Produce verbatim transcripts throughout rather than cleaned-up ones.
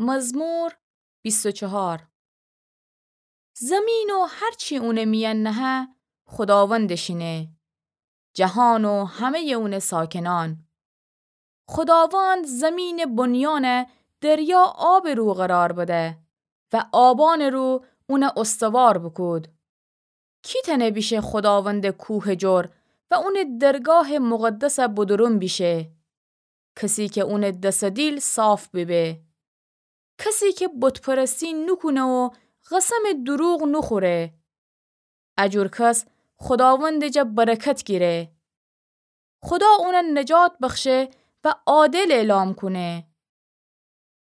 مزمور بیست و چهار. زمین و هر چی اونٚ میأن نهه، خوداوندٚ شینه، جهان و همه‌یٚ اونٚ ساکنأن. خوداوند زمینٚ بنیأن دریا آبٚ رو قرار بده و آبأنٚ رو اون استوار بوکود. کی تأنه بیشه خوداوندٚ کوهٚ جور و اونٚ درگاهٚ مقدس بدرون بیشه؟ کسی کی اونٚ دس و دیل صاف بیبه، کسی کی بت‌پرستی نوکونه و قسمٚ دروغ نوخوره. ا جور کس خوداوندٚ جا برکت گیره. خودا اون نجات بخشه و عادل اعلام کونه.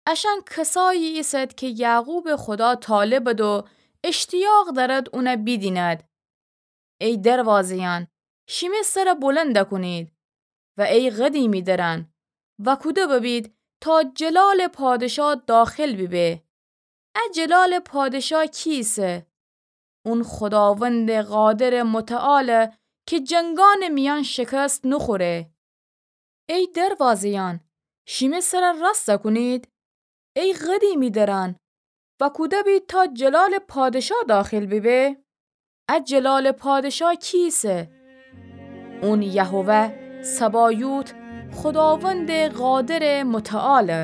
اشأن کسایی ایسد کی یعقوبٚ خودا طالبد و اشتیاق دأرد اون بیدیند. ای دروازه‌یأن، شیمه سر بلند کونید و ای قدیمی درأن، وأکوده ببید تا جلالٚ پادشا داخل بیبه. ا جلالٚ پادشا کی ایسه؟ اون خوداوندٚ قادرٚ متعاله کی جنگأنٚ میأن شکست نوخوره. ای دروازه‌یأن، شیمه سر راست کونید. ای قدیمی درأن، وأکوده بید تا جلالٚ پادشا داخل بیبه. ا جلالٚ پادشا کی ایسه؟ اون یهوه سبایوت، خوداوندٚ قادرٚ متعاله.